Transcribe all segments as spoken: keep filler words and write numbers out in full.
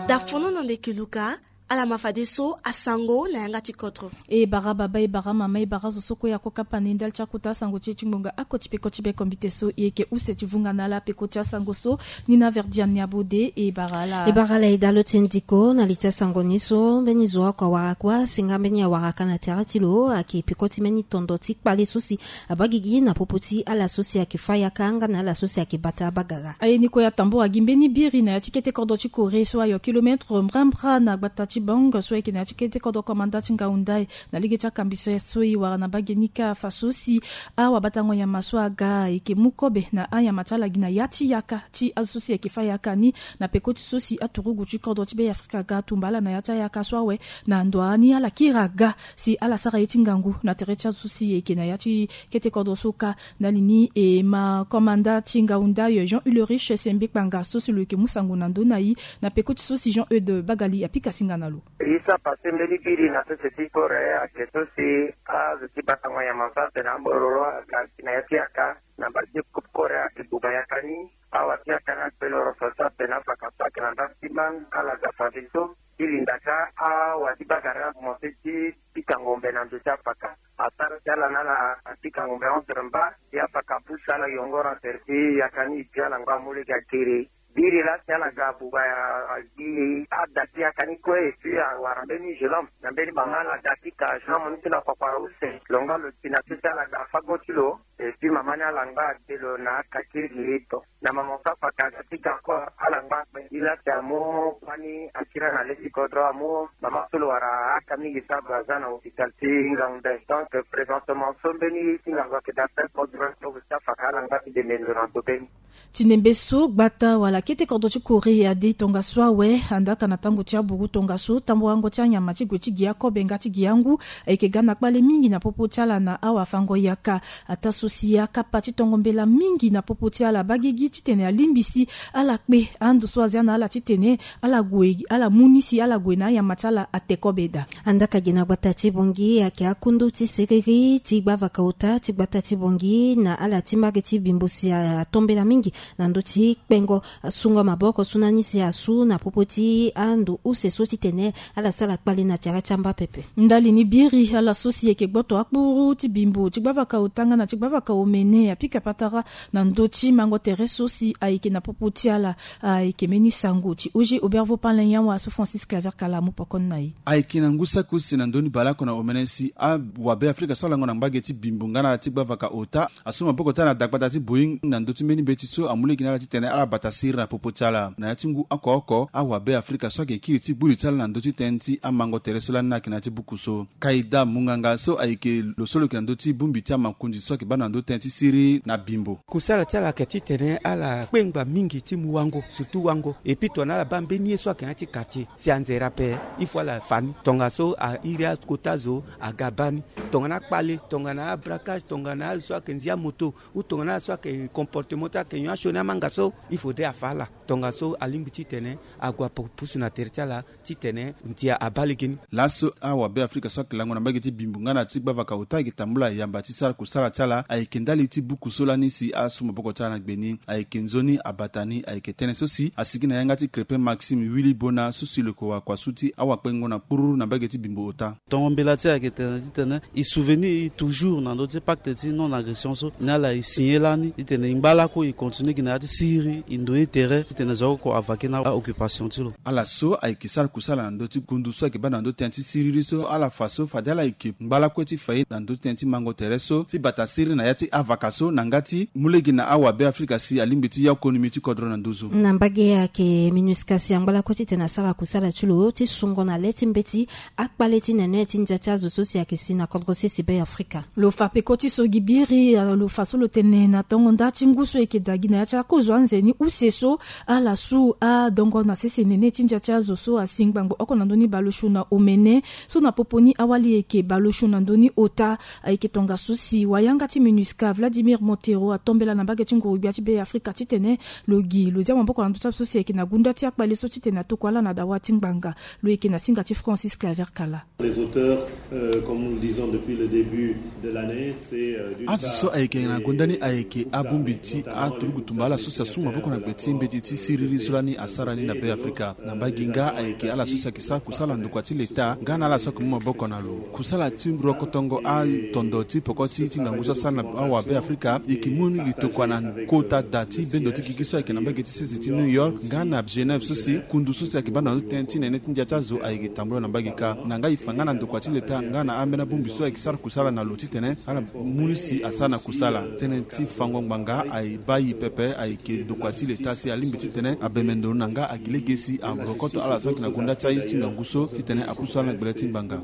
Da fono na ndeke luka. Ala ma fadeso asango na yanga ti kodro. E bara baba, e bara mama, e bara zo so kue ako kapa na e ndali ti akota asango ti e ti ngbonga ako ti peko ti be kombite so e yeke use ti vunga na ala peko ti asango so. Ni na verdian ni abode e bara ala. E bara ala e dalo ti ndiko na li ti asango ni so mbeni zo ako awara kua si nga mbeni awara ka na tere ti lo ayeke peko ti mbeni tondo ti kpale so si abagigi na popo ti ala so si ayeke fâ yaka nga na ala so si ayeke bata abagara. Aye ni kue atambura gi mbeni biri na ya ti kete kodro ti Corée so ayo kilometre mbrambra na gbata ti Bang so ayeke na ya ti kete kodro komanda ti Ngaoundai. Na lege ti akambiso so e wara na mbage ni kâ afa so si awabatango nyama so aga ayeke mu kobe na anyama ti ala gi na ya ti yaka ti azo so si ayeke fâ yaka ni. Na peko ti so si aturugu ti kodro ti Be Afrika aga atumba ala na ya ti ayaka so awe na ndo ani ala kiri aga si ala sara ye ti ngangu na tere ti azo so si ayeke na ya ti kete kodro so kâ. Ndali ni e ma komanda ti Ngaoundai Jean Ulrich Sembe Kpanga so si lo yeke mu sango na ndö ni na e na peko ti so si Jean Eude Bagali apika singa na lo. E sa pase mbeni biri na sese ti Corée ayeke so si azo ti batango nyama so atene ambororo aga si na ya ti yaka na mbage ti Corée ayeke buba yaka ni. Awa ti yaka ni akpelo roso so atene afaka so ayeke na ndasi ti man ala ga fadeso ti linda ka awa ti bagara akomanse ti pika ngombe na ndo ti afaka. Asara ti ala na ala apika ngombe entre mba ti afaka pusu ala yongoro na tere ti yaka ni ti ala ngba amu lege akiri. Biri laa si ala ga abuba ya gi ada ti yaka ni kue et puis awara mbeni gelom na mbeni mama ala ga ti ka agent mo ni ti na kpakpara use lo nga lo ti na sese ala ga fago ti lo. Et puis mama ni ala ngba ade lo na akakiri giri to na mama so afaka aga ti ga kue ala ngba akpe. Gi laa si amu kua ni akiri ala na le ti kodro amu mama so lo wara aka mingi so ague aza na hopital ti Ngaoundai. Donc présentement so mbeni ti ngangu ayeke daa ti kodro so si afaka ala ngba ti dende ndo na ndo mbeni. Ti nembe so gbata wala kete kodro ti Corée ade tongaso awe andaka na tango ti aburu tongaso tamburango ti anyama ti gue ti gi akobe nga ti gi angu ayeke ga na kpale mingi na popo ti ala na awafango yaka. Ataa so si akapa ti tongo mbela mingi na popo ti ala bagigi titene alingbi si ala kpe ando so azia na ala titene ala gue ala mu ni si ala gue na anyama ti ala ate kobe daa. Andaka gi na gbata ti Bangui ayeke akundu ti siriri ti gbavaka ota ti gbata ti Bangui na ala ti mbage ti Bimbo si atombela mingi na ndö ti kpengo sungo maboko so na ni si asu na popo ti ando use so titene ala sara kpale na tere ti amba pepe. Ndali ni biri ala so si ayeke gboto akpuru ti Bimbo ti gbavaka ota nga na ti gbavaka omene apika patara na ndö ti mango tere so si ayeke na popo ti ala. Ayeke mbeni sango ti Oger Obervo Palen Yawa so Francis Claver Kala amu poko ni na e. Ayeke na ngu saki use na ndö ni baleoko na omene si awabe Afrika so alango na mbage ti Bimbo nga na ala ti gbavaka ota asu maboko ti ala na dagbata ti Boeing na ndö ti mbeni mbeti so amu lege na ala titene ala bata siriri na popo ti ala na ya ti ngu oko oko. Awabe Afrika so ayeke kiri ti gbu li ti ala na ndö ti tënë ti amango tere so lani ayeke na ya ti buku so. Kaida Munganga so ayeke lo so lo yeke na ndö ti bongbi ti amakonzi so ayeke baa na ndö tënë ti siriri na Bimbo. Kusala ti ala ayeke titene ala kpengba mingi ti mu wango surtout wango. Et puis tongana ala baa mbeni ye so ayeke na ya ti quartier si anzere ape il faut ala fa ni. Tongaso a iri akota zo aga baa ni. Tongana akpale tongana abraquage tongana azo so ayeke nzi amoto ou tongana azo so ayeke comportement ti ayeke nyon asioni amanga so il faudrait afa ala. Tongaso alingbi titene ague apusu na tere ti ala titene ndia abaa legeni. Laso awabe Afrika so ayeke lango na mbage ti Bimbo nga na ti gbavaka ota ayeke tambula yamba ti sara kusala ti ala ayeke ndali ti buku so lani si asu maboko ti ala na gbe ni. Ayeke nzoni abata ni ayeke tënë so si asigi na yanga ti Crépin Maxime Willy Bona so si lo yeke wakua su ti awakpengo na kpururu na mbage ti Bimbo ota. Tongo mbela ti e ayeke tene titene e souvenir e toujours na ndö ti pacte ti non agression so na ala e signé lani titene e ngba lakue e continue gi na ya ti siriri e ndo ye tere titene zo oko avake na aoccupation ti lo. Ala so ayeke sara kusala na ndö ti kundu so ayeke baa na ndö ti tënë ti siriri so ala fa so fade ala yeke ngba lakue ti fa ye na ndö ti tënë ti mango tere so ti bata siriri na ya ti avaka so na nga ti mu lege na awabe Afrika si alingbi ti ya konomi ti kodro na nduzu. Na mbage ayeke MINUSCA si angba lakue titene asara kusala ti lo ti sungo na le ti mbeti akpale ti nene ti ndia ti azo so si ayeke si na kodro sese Be Afrika. Lo fa peko ti so gi biri lo fa so lo tene na tongo nda ti ngu so e yeke daa gi na ya ti akozo anzeni use so ala su adongo na sese nene ti ndia ti azo so asi ngbangbo oko na ndö ni baleosio na omene so na popo ni awali e yeke baleosio na ndö ni ota. Ayeke tongaso si wayanga ti MINUSCA MINUSCA, Vladimir Montero, atombela na mbage ti nguru-gbia ti Be Afrika titene lo gi lo zia maboko na ndö ti azo so si ayeke na gunda ti akpale so titene atokua ala na dawa ti ngbanga. Lo yeke na singa ti Francis Claver Kala. Les auteurs, euh, comme nous le disons depuis le début de l'année, c'est, euh, d'une part, azo so ayeke na gonda ni ayeke abongbi ti aturugu tumba ala so si asu maboko na gbe ti mbeti ti siriri so lani asara ni na Be Afrika. Na mbage nga ayeke ala so si ayeke sara kusala na ndokua ti leta nga na ala so ayeke mu maboko na lo. Kusala ti rokotongo atondo ti poko ti ti ngangu so asara na awabe Afrika e yeke mu ni li tokua na kota da ti bendo ti gigi so ayeke na mbage ti sese ti New York nga na Genève so si kundu so si ayeke baa na ndö ti tënë ti nene ti ndia ti azo ayeke tambula na mbage kâ. Na nga e fa nga na ndokua ti leta nga na ambeni abongbi so ayeke sara kusala na lo titene ala mu ni si asara na kusala. Tënë ti fango ngbanga aye baa e pepe ayeke ndokua ti leta si alingbi titene abembe ndo na nga agi lege si arokoto ala so ayeke na gonda ti aye ti ngangu so titene apusu ala na gbele ti ngbanga.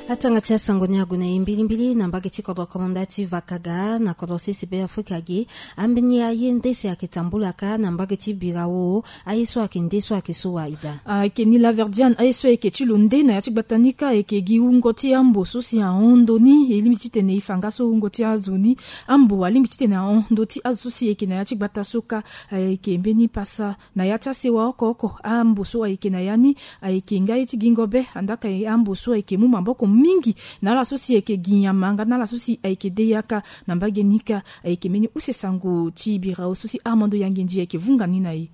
Atanga ti asango ni ague na e mbilimbili na mbage ti kodro komanda ti Vakaga na kodro sese Be Afrika ge. Ambeni aye nde si ayeke tambula kâ na mbage ti Birao. Aye so ayeke nde so ayeke so wa ida? Ayeke ni Laverdiane, aye so ayeke ti lo nde na ya ti gbata ni kâ ayeke gi wungo ti ambo so si ahon ndo ni. E lingbi titene e fa nga so wungo ti azo ni. Ambo alingbi titene ahon ndo ti azo so si ayeke na ya ti gbata so kâ. Ayeke mbeni pasa na ya ti asewa oko oko. Ambo so ayeke na ya ni ayeke nga ye ti gingo be. Andaa ka ambo so ayeke mu maboko mingi na ala so si ayeke gi nyama nga na ala so si ayeke de yaka. Na mbage ni kâ ayeke mbeni use sango ti Birao so si Armando Yangendi ayeke vunga ni na e.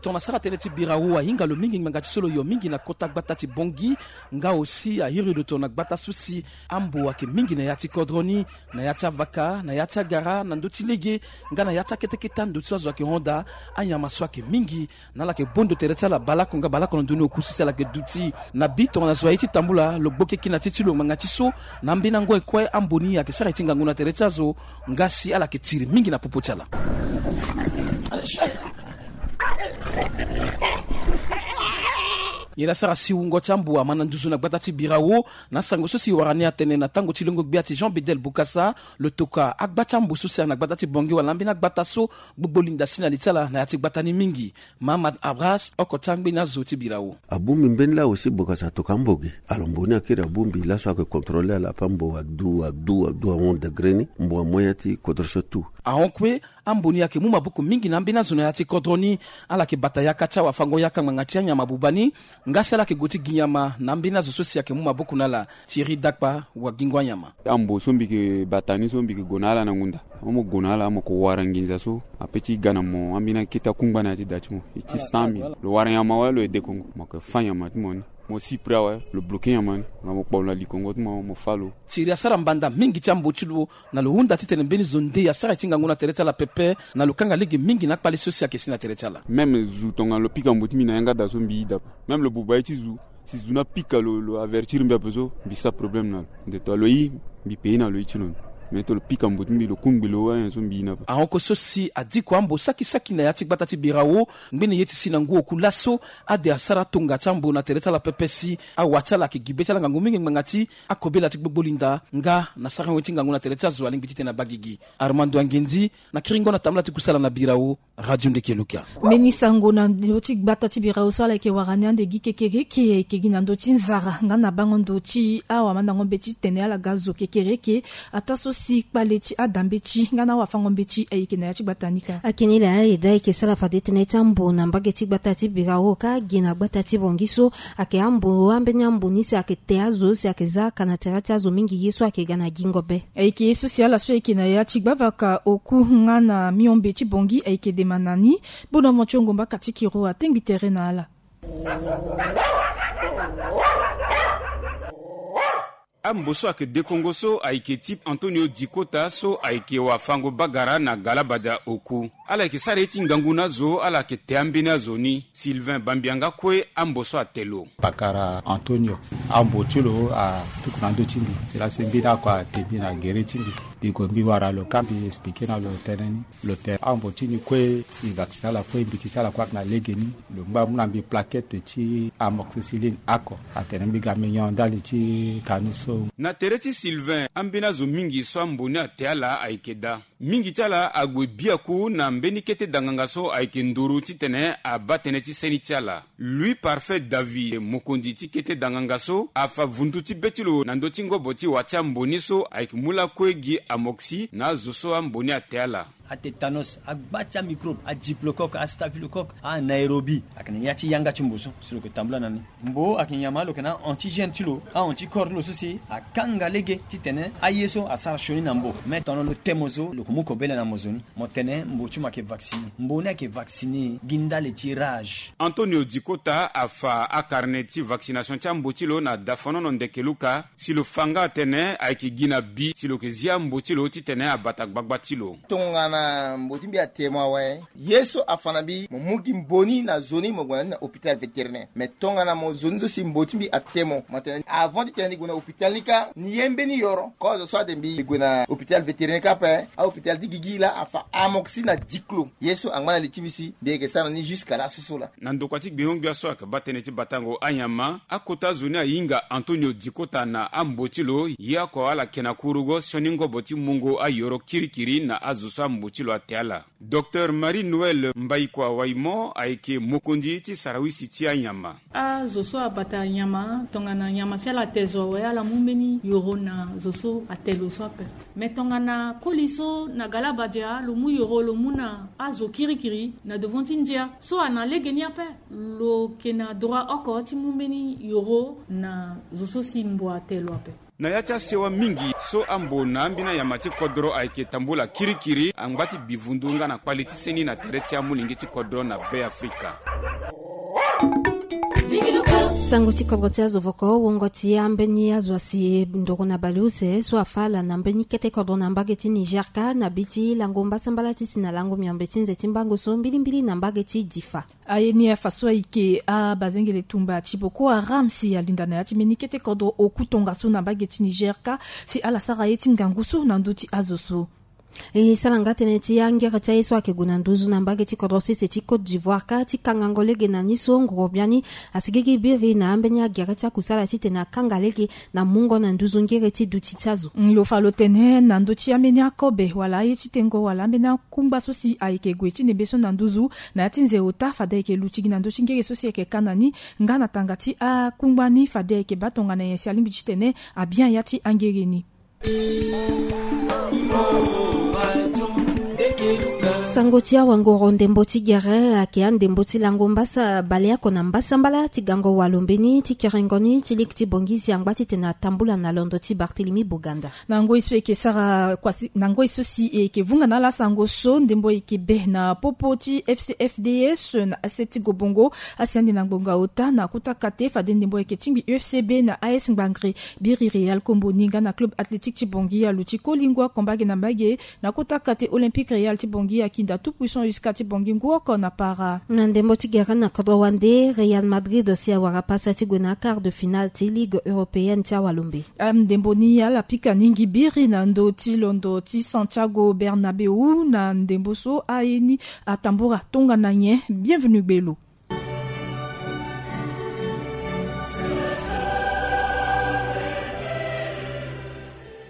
Tongana sara tënë ti Birao ahinga lo mingi ngbanga ti so lo yo mingi na kota gbata ti Bongi. Nga aussi ahiri lo tongana gbata so si ambo ayeke mingi na ya ti kodro ni, na ya ti avaka, na ya ti agara, na ndö ti lege nga na ya ti akete kete ando ti so azo ayeke hon daa. Anyama so ayeke mingi na ala yeke bondo tere ti ala baleoko nga baleoko na ndoni oku sese ala yeke duti. Na bi tongana zo aye ti tambula lo gbo keke na ti ti lo ngbanga ti so na ambeni ango e kue ambo ni ayeke sara ye ti ngangu na tere ti azo. Nga si ala yeke tiri mingi na popo ti ala. Nyen asara si wungo ti ambo ama na nduzu na gbata ti Birao? Na sango so si wara ni atene na tango ti lengo-gbia ti Jean Bedel Bokassa, lo tokua agba ti ambo so si ayeke na gbata ti Bongi wala ambeni agbata so gbogbo linda si na li ti ala na ya ti gbata ni mingi. Mahamad Abras, oko ti angbeni azo ti Birao. Abongbi mbeni laa aussi Bokassa atokua ambo ge. Alors mbo ni akiri abongbi laso ayeke contrôler ala ape, mbo adu adu adu ahon degre ni mbo amu ya ti kodro so tout. Ahon kue ambo ni ayeke mu maboko mingi na ambeni azo na ya ti kodro ni. Ala yeke bata yaka ti awafango-yaka ngbanga ti anyama buba ni. Nga si ala yeke gue ti gi nyama na ambeni azo so si ayeke mu maboko na ala. Thierry Dakpa, wagingo anyama. Ambo so mbi yeke bata ni so mbi yeke gue na ala na ngunda. Mo gue na ala mo yeke wara nginza so ape ti ga na mo ambeni akete akungba na ya ti da ti mo. E ti cent mille. Lo wara nyama wala lo ye dekongo, mo yeke fâ nyama ti mo ni. Mo si prix awe, lo bloqué nyama ni. Nga mo kpo lo na likongo ti mo, mo fâ lo. Thierry asara mbanda mingi ti ambo ti lo na lo hunda titene mbeni zo nde asara ye ti ngangu na tere ti ala pepe. Na lo kanga lege mingi na akpale so si ayeke si na tere ti ala. Même zo tongana lo pika mbo ti mbi na yanga da so mbi yida ape. Même lo buba ye ti zo, si zo ni apika lo, lo avertir mbi ape so mbi sara problème na lo. Nde to lo yi, mbi payé na lo ye ti lo ni. Mais to lo pika mbo ti mbi lo kungbi lo wala nyen so mbi yi na ape. Ahon kue so si adiko ambo saki saki na ya ti gbata ti Birao. Ngbene ye ti si na ngu oku laso ade asara tonga ti ambo na tere ti ala pepe si awa ti ala ayeke gi be ti ala ngangu mingi ngbanga ti akobela ti gbogbo linda nga na sarango ye ti ngangu na tere ti azo alingbi titene abaa gigi. Armando Angendi, na kiringo na tambala ti kusala na Birao, Radio Ndeke Luka. Mbeni sango na ndö ti gbata ti Birao so ala yeke wara ni ande gi kekereke ayeke gi na ndö ti nzara nga na bango ndo ti awamandango mbeti tene ala ga zo kekereke. Ataa so si kpale ti ada mbeti nga na awafango mbeti ayeke na ya ti gbata ni kâ. Ayeke ni laa e daa e yeke sara fade tënë ti ambo na mbage ti gbata ti Birao kâ gi na gbata ti Bongi so ayeke ambo ambeni ambo ni si ayeke te azo si ayeke za aka na tere ti azo mingi ye so ayeke ga na gingo be. Ayeke ye so si ala so ayeke na ya ti gbavaka oku nga na miombe ti Bongi ayeke dema na ni. Bono mo ti ongo mbaka ti kiro atengbi tere na ala. Ambo so ayeke dekongo so ayeke ti Antonio Dikota so ayeke wafango bagara na Galabada oku. Ala yeke sara ye ti ngangu na azo, ala yeke te ambeni azo ni. Sylvain Bambianga kue ambo so ate lo. Pakara Antonio, ambo ti lo atuku na ndö ti mbi. Sila si mbeni oko ate mbi na gere ti mbi. Mbi gue mbi wara lo kâ mbi expliqué na lo tënë ni. Lo tene ambo ti ni kue e vacciner ala kue, mbeti ti ala kue ayeke na legeni. Lo ngba amu na mbi plaquette ti amoxicilline oko. Atene mbi ga mbi nyon ndali ti kani so. Na tere ti Sylvain, ambeni azo mingi so ambo ni ate ala ayeke daa. Mingi ti ala ague biaku na mbeni kete danganga so ayeke nduru titene abaa tënë ti seni ti ala. Louis Parfait David, mokonzi ti kete danganga so, afa vundu ti be ti lo na ndö ti ngobo ti wa ti ambo ni so ayeke mu lakue gi amoxi na azo so ambo ni ate ala. Atétanos, agba ti amicrobe, adiplocoque, astaphylocoque, anaérobie, ayeke na ya ti yanga ti mbo so si lo yeke tambula na ni. Mbo ayeke nyama lo yeke na a-antigène ti lo, a-anticorps ti lo so si akanga lege titene aye so asara sioni na mbo. Me tongana lo te mo zo, lo yeke mu kobela na mo zo ni. Mo tene mbo ti mo ayeke vacciner. Mbo ni ayeke vacciner gi ndali ti rage. Antonio Dikota afa akarne ti vaccination ti ambo ti lo na dafanono ndeke luka, si lo fa nga atene ayeke gi na bi si lo yeke zi ambo ti lo titene abata gbagba ti lo. Tongana mbo ti mbi ate mo awe, ye so afa na mbi, mo mu gi mbo ni na zo ni, mo gue na ni na hôpital vétérinaire. Me tongana mo zo ni so si mbo ti mbi ate mo, mo tene avant titene ni gue na hôpital ni kâ, ni ye mbeni yoro. Kozo so ade mbi gue na hôpital vétérinaire kâ ape, ahôpital ti gigi laa afa amoxi na diklo. Ye so angba na li ti mbi si mbi yeke sara na ni jusqu'à laso so laa. Na ndokua ti gbingo-ngbia so ayeke baa tënë ti batango anyama, akota azo ni ahinga Antonio Dikota na ambo ti lo, ye oko ala yeke na kurugo sioni ngobo ti mungo ayoro kirikiri na azo so ambo ti lo ate ala. Docteur Marie Noël Mbaikua Waimo ayeke mokonzi ti sarawisi ti anyama. Azo so abata nyama, tongana nyama si ala te zo awe, ala mu mbeni yoro na zo so ate lo so ape. Me tongana koli so na galabadia, lo mu yoro, lo mu na azo kirikiri na devant ti ndia so ana lege ni ape, lo yeke na droit oko ti mu mbeni yoro na zo so si mbo ate lo ape. Na ya ti asewa mingi so ambo na ambeni anyama ti kodro ayeke tambula kirikiri, angba ti bivundu nga na kpali ti seni na tere ti amolenge ti kodro na Be Afrika. Sango ti kodro ti azo voko, wongo ti ambeni azo asi ndoro na baleuse so afa ala na mbeni kete kodro na mbage ti Niger kâ na bi ti lango mbasambala ti si na lango miombe ti nze ti mbango so mbilimbili na mbage ti Difa. Aye ni afa so ayeke abazengele tumba ti Boko Haram si alinda na ya ti mbeni kete kodro oku tongaso na mbage ti Niger kâ si ala sara ye ti ngangu so na ndö ti azo so. E sara nga tënë ti angere ti aye so ayeke gue na nduzu na mbage ti kodro sese ti Côte d'Ivoire kâ ti kangango lege na ni so nguru biani asigigi biri na ambeni agere ti akusala titene akanga lege na mungo na nduzu ngere ti duti ti azo. Lo fa lo tene na ndö ti ambeni akobe wala aye ti tengo wala ambeni akungba so si ayeke gue ti ndembe so na nduzu na ya ti nze ota, fade ayeke luti gi na ndö ti ngere so si ayeke ka na ni nga na tanga ti akungba ni, fade ayeke baa tongana nyen si alingbi titene abia ya ti angere ni. Sango ti awangoro ndembo ti gere ayeke andembo ti lango mbasa baleoko na mbasambala ti gango walo mbeni ti kerengo ni ti liki ti Bangui si angba titene atambula na londo ti Barthélemy Boganda. Na ngoi so e yeke sara kuasi, na ngoi so si e yeke vunga na ala sango so, ndembo e yeke be na popo ti F C F D S na assiette ti Gobongo, asi ande na ngbonga ota na kota kate, fade ndembo e yeke tingbi U F C B na A S Ngbangre. Biri Real Kombo ni nga na Club Athlétique ti Bangui aluti koli ngu oko mbage na mbage na kota kate Olympique Real ti Bangui akinda Tout Puissant U S C A ti Bangui ngu oko na para. Na ndembo ti gere na kodro wande, Real Madrid si awara pasa ti gue na quart de finale ti Ligue Européenne ti awalombe. Ndembo ni ala pika ni ngi biri na ndö ti londo ti Santiago Bernabéu. Na ndembo so aye ni atambura tongana nyen? Bienvenu Gbelo.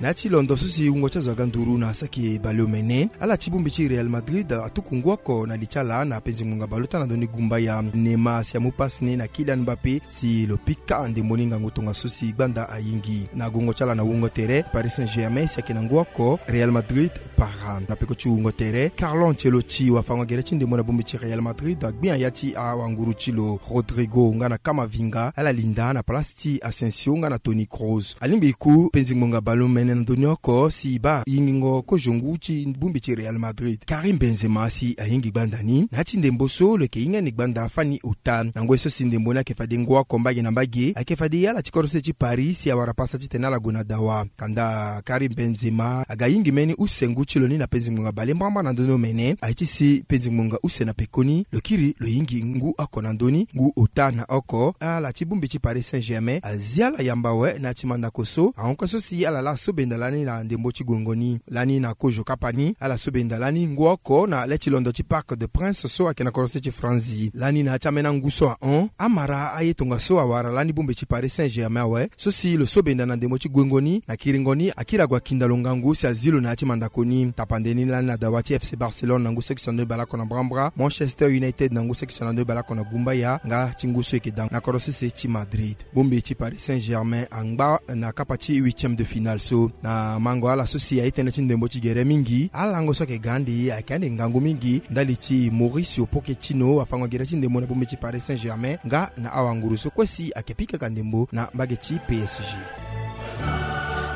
Na ya ti londo so si wungo ti azo aga nduru na saki baleomene, ala ti bongbi ti Real Madrid atuku ngu oko na li ti ala na penzi ngbonga baleota na ndoni gumbaya. Neymar si amu pasi ni na Kylian Mbappé si lo pika ndembo ni ngangu tongaso si gbanda ayingi. Na gongo ti ala na wungo tere, Paris Saint-Germain si ayeke na ngu oko, Real Madrid para. Na peko ti wungo tere, Carlo Ancelotti wafango gere ti ndembo na bongbi ti Real Madrid, agbi na ya ti awanguru ti lo Rodrygo nga na Camavinga, ala linda na place ti Asensio nga na Toni Kroos. Alingbi ku penzi ngbonga baleomene na ndoni oko si baa yingingo kozo ngu ti bongbi ti Real Madrid, Karim Benzema si ayingi gbanda ni. Na ya ti ndembo so lo yeke hinga ni gbanda fani ota. Na ngoi so si ndembo ni ayeke fade ngu oko mbage na mbage, ayeke fade ala ti kodro se ti Paris si awara pasa titene ala gue na dawa. Kanda Karim Benzema aga yingi mbeni use ngu ti lo ni na penzi ngbonga bale mbrambra na ndoni omene. Aye ti si penzi ngbonga use na pekoni, lo kiri lo yingi ngu oko na ndö ni, ngu ota na oko. Ala ti bongbi ti Paris Saint-Germain azi ala yamba awe na ya ti mandako so, ahon kue so si ala laa so Benda lani na ndembo ti gongo ni lani na kozo kapa ni ala so benda lani ngu oko na le ti londo ti Parc de Prince so ayeke na korose ti Franzi. Lani na ya ti ambeni angu so ahon, amara aye tongaso awara lani bongbi ti Paris Saint-Germain awe so si lo so benda na ndembo ti gongo ni na kiringo ni akiri ague akinda lo ngangu si azi lo na ya ti mandako ni. Tapande ni lani na dawa ti FC Barcelone na ngu seki so na ndo ni baleoko na mbrambra, Manchester United na ngu seki so na ndo ni baleoko na gumbaya nga ti ngu so eke da na korosese ti Madrid. Bongbi ti Paris Saint-Germain angba na kapa ti huitième de finale so. Na mango ala so si aye tënë ti ndembo ti gere mingi, alango so ayeke ga ande ayeke ande ngangu mingi ndali ti Mauricio Pochettino afango gere ti ndembo na bongbi ti Paris Saint-Germain nga na awanguru so kue si ayeke pika ka ndembo na mbage ti P S G.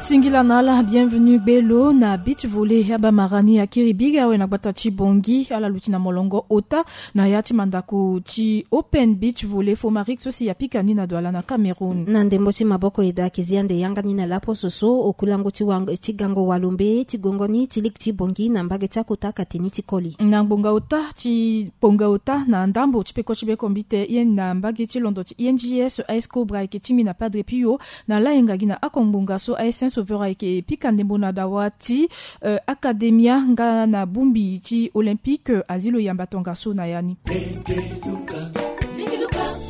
Singila na ala bienvenu gbe lo na beach volley abamara ni akiri biri awe na gbata ti Bongi ala luti na molongo ota na ya ti mandako ti Open Beach Volley Fomaric so si apika ni na Douala na Cameroun. Na ndembo ti maboko eda ayeke zi ande yanga ni na laposo so okulango ti wa- ti gango walombe ti gongo ni ti ligi ti Bongi na mbage ti akota akate ni ti koli. Na ngbonga ota ti ngbonga ota na ndambo ti peko ti bekombite ye na mbage ti londo ti I N G S, A S Cobra ayeke tingbi na Padre Pio na layenga gi na ako ngbonga so A S Saint Sauveur ayeke pika ndembo na dawa ti eh, Academia nga na bongbi ti Olympique, eh, azi lo yamba tongaso na ya ni.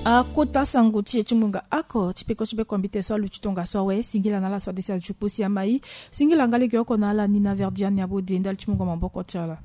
Akota sango ti e ti ngbonga ako ti peko ti bekombite so aluti tongaso awe. Singila na ala so adesi ajuku si amai. Singila nga lege oko na ala ni na Verdiane Abode ndali ti mungo maboko ti ala.